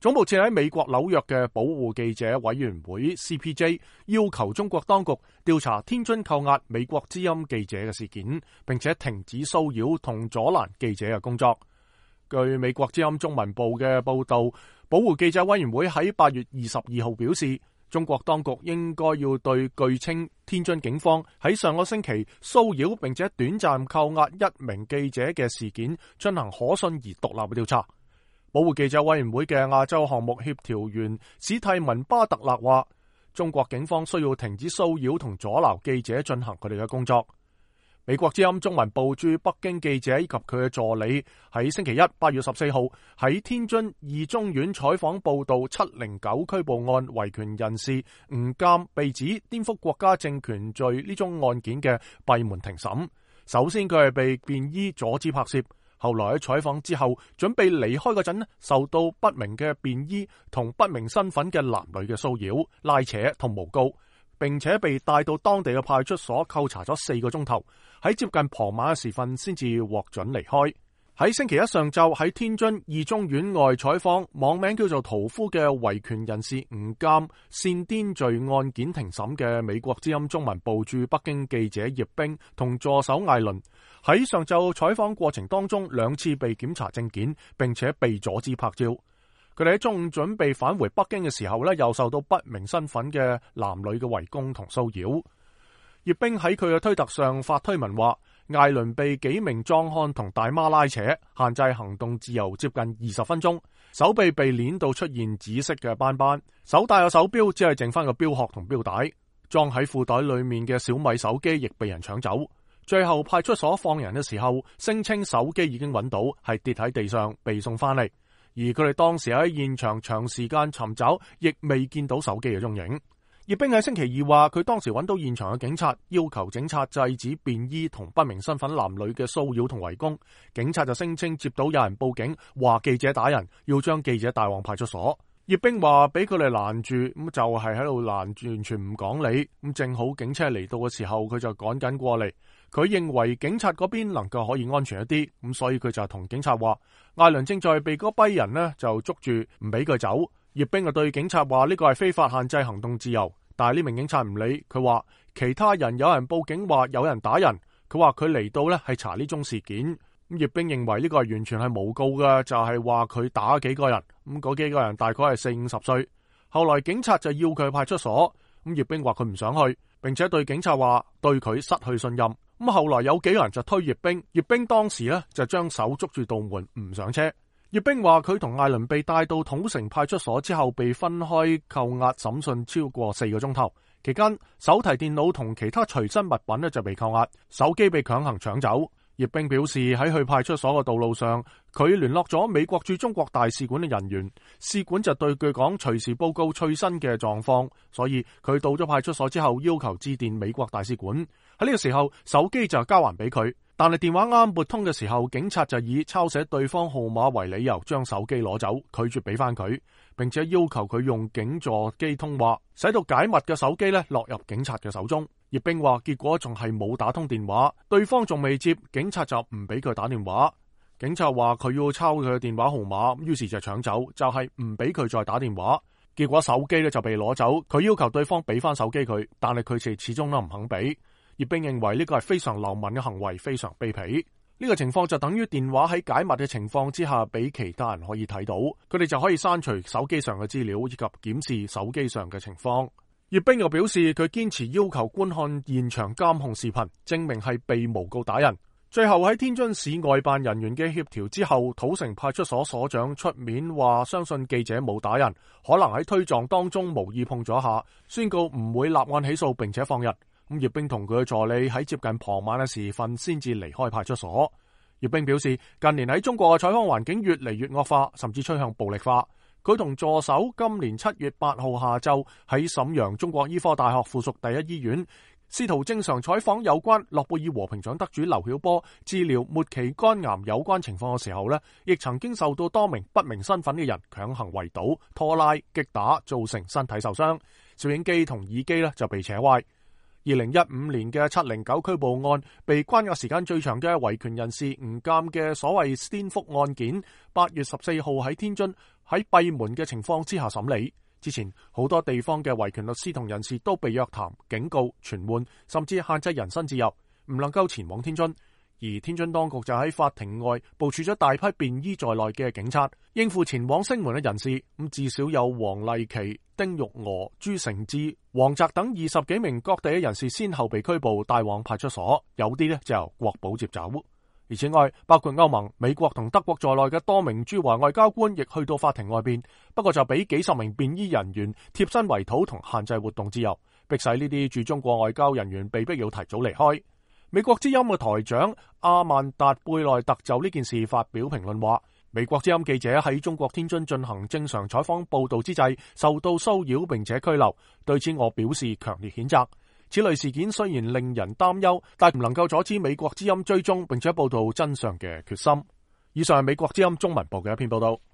總部設喺美國紐約嘅保護記者委員會 CPJ 要求中國當局調查天津扣押美國之音記者嘅事件，並且停止騷擾同阻攔記者嘅工作。據美國之音中文部嘅報道，保護記者委員會喺8月22號表示，中國當局應該要對據稱天津警方喺上個星期騷擾並且短暫扣押一名記者嘅事件進行可信而獨立嘅調查。保護記者委員會嘅亞洲項目協調員史蒂文巴特勒話，中國警方需要停止騷擾同阻撓記者進行佢哋嘅工作。美國之音中文部駐北京記者以及佢嘅助理喺星期一8月14號喺天津二中院採訪報道709拘捕案維權人士吳鑑被指顛覆國家政權罪呢宗案件嘅閉門庭審。首先佢係被便衣阻止拍攝，後來喺採訪之後準備離開嗰陣，受到不明嘅便衣同不明身份嘅男女嘅騷擾、拉扯同誣告，並且被帶到當地嘅派出所扣查咗4個鐘頭，喺接近傍晚嘅時分先至獲准離開。喺星期一上晝喺天津二中院外採訪網名叫做屠夫嘅維權人士吳鑑煽顛罪案件庭審嘅美國之音中文部駐北京記者葉冰同助手艾倫，喺上晝採訪過程當中2次被檢查證件，並且被阻止拍照。佢哋喺中午準備返回北京嘅時候又受到不明身份嘅男女嘅圍攻同騷擾。葉冰喺佢嘅推特上發推文話，艾倫被幾名壯漢同大媽拉扯，限制行動自由接近20分鐘，手臂被鏈到出現紫色嘅斑斑，手帶嘅手錶只係剩翻個錶殼同錶帶，裝喺褲袋裏面嘅小米手機亦被人搶走。最後派出所放人嘅時候，聲稱手機已經揾到，係跌喺地上被送翻嚟，而佢哋當時喺現場長時間尋找，亦未見到手機嘅蹤影。葉冰喺星期二話，佢當時揾到現場嘅警察，要求警察制止便衣同不明身份男女嘅騷擾同圍攻。警察就聲稱接到有人報警，話記者打人，要將記者帶往派出所。葉冰話俾佢哋攔住，咁就係喺度攔住，完全唔講理。咁正好警車嚟到嘅時候，佢就趕緊過嚟。佢認為警察嗰邊能夠可以安全一啲，咁所以佢就同警察話，艾倫正在被嗰批人呢就捉住，唔俾佢走。葉冰就對警察話呢個係非法限制行動自由，但係呢名警察唔理，佢話其他人有人報警話有人打人，佢話佢嚟到呢係查呢宗事件。咁葉冰認為呢個係完全係誣告嘅，就係話佢打幾個人，咁嗰幾個人大概係40-50歲。後來警察就要佢去派出所，咁葉冰話佢唔想去，並且對警察話對佢失去信任。咁後來有幾個人就推葉冰，葉冰當時呢就將手捉住道門唔上車。葉冰話佢同艾倫被帶到土城派出所之後，被分開扣押審訊超過4個鐘頭，期間手提電腦同其他隨身物品呢就被扣押，手機被強行搶走。葉冰表示喺去派出所嘅道路上，佢聯絡咗美國駐中國大使館嘅人員，使館就對佢講隨時報告最新嘅狀況，所以佢到咗派出所之後要求致電美國大使館。喺呢個時候手機就交還俾佢，但係電話啱撥通嘅時候，警察就以抄寫對方號碼為理由將手機攞走，拒絕俾翻佢，並且要求佢用警座機通話，使到解密嘅手機呢落入警察嘅手中。葉冰話結果仲係冇打通電話，對方仲未接，警察就唔俾佢打電話。警察話佢要抄佢嘅電話號碼，於是就搶走，就係唔俾佢再打電話。結果手機呢就被攞走，佢要求對方俾翻手機佢，但係佢始終都唔肯俾。葉冰認為呢個係非常流氓嘅行為，非常卑鄙。呢個情況就等於電話喺解密嘅情況之下俾其他人可以睇到，佢哋就可以刪除手機上嘅資料以及檢視手機上嘅情況。葉冰又表示佢堅持要求觀看現場監控視頻，證明係被誣告打人。最後喺天津市外辦人員嘅協調之後，土城派出所所長出面話相信記者冇打人，可能喺推撞當中無意碰咗下，宣告唔會立案起訴並且放人。咁葉冰同佢嘅助理喺接近傍晚嘅時分先至離開派出所。葉冰表示近年喺中國嘅採訪環境越嚟越惡化，甚至趨向暴力化。佢同助手今年7月8號下晝喺瀋陽中國醫科大學附屬第一醫院，試圖正常採訪有關諾貝爾和平獎得主劉曉波治療末期肝癌有關情況嘅時候呢，亦曾經受到多名不明身份嘅人強行圍堵、拖拉、擊打，造成身體受傷。攝影機同耳機呢就被扯壞。2015年嘅709拘捕案，被關押時間最長嘅維權人士吳鑑嘅所謂顛覆案件，8月14號喺天津喺閉門嘅情況之下審理。之前好多地方嘅維權律師同人士都被約談、警告、傳喚，甚至限制人身自由，唔能夠前往天津。而天津當局就喺法庭外部署咗大批便衣在內嘅警察，應付前往聲援嘅人士。咁至少有黃麗琪、丁玉娥、朱成志、黃澤等20幾名各地嘅人士先後被拘捕帶往派出所，有啲呢就由國保接走。而此外，包括歐盟、美國同德國在內嘅多名駐華外交官亦去到法庭外邊，不過就俾幾十名便衣人員貼身圍堵同限制活動自由，迫使呢啲駐中國外交人員被迫要提早離開。美國之音嘅台長阿曼達貝內特就呢件事發表評論話，美國之音記者喺中國天津進行正常採訪報道之際受到騷擾並且拘留，對此我表示強烈譴責。此類事件雖然令人擔憂，但唔能夠阻止美國之音追蹤並且報道真相嘅決心。以上係美國之音中文部嘅一篇報道。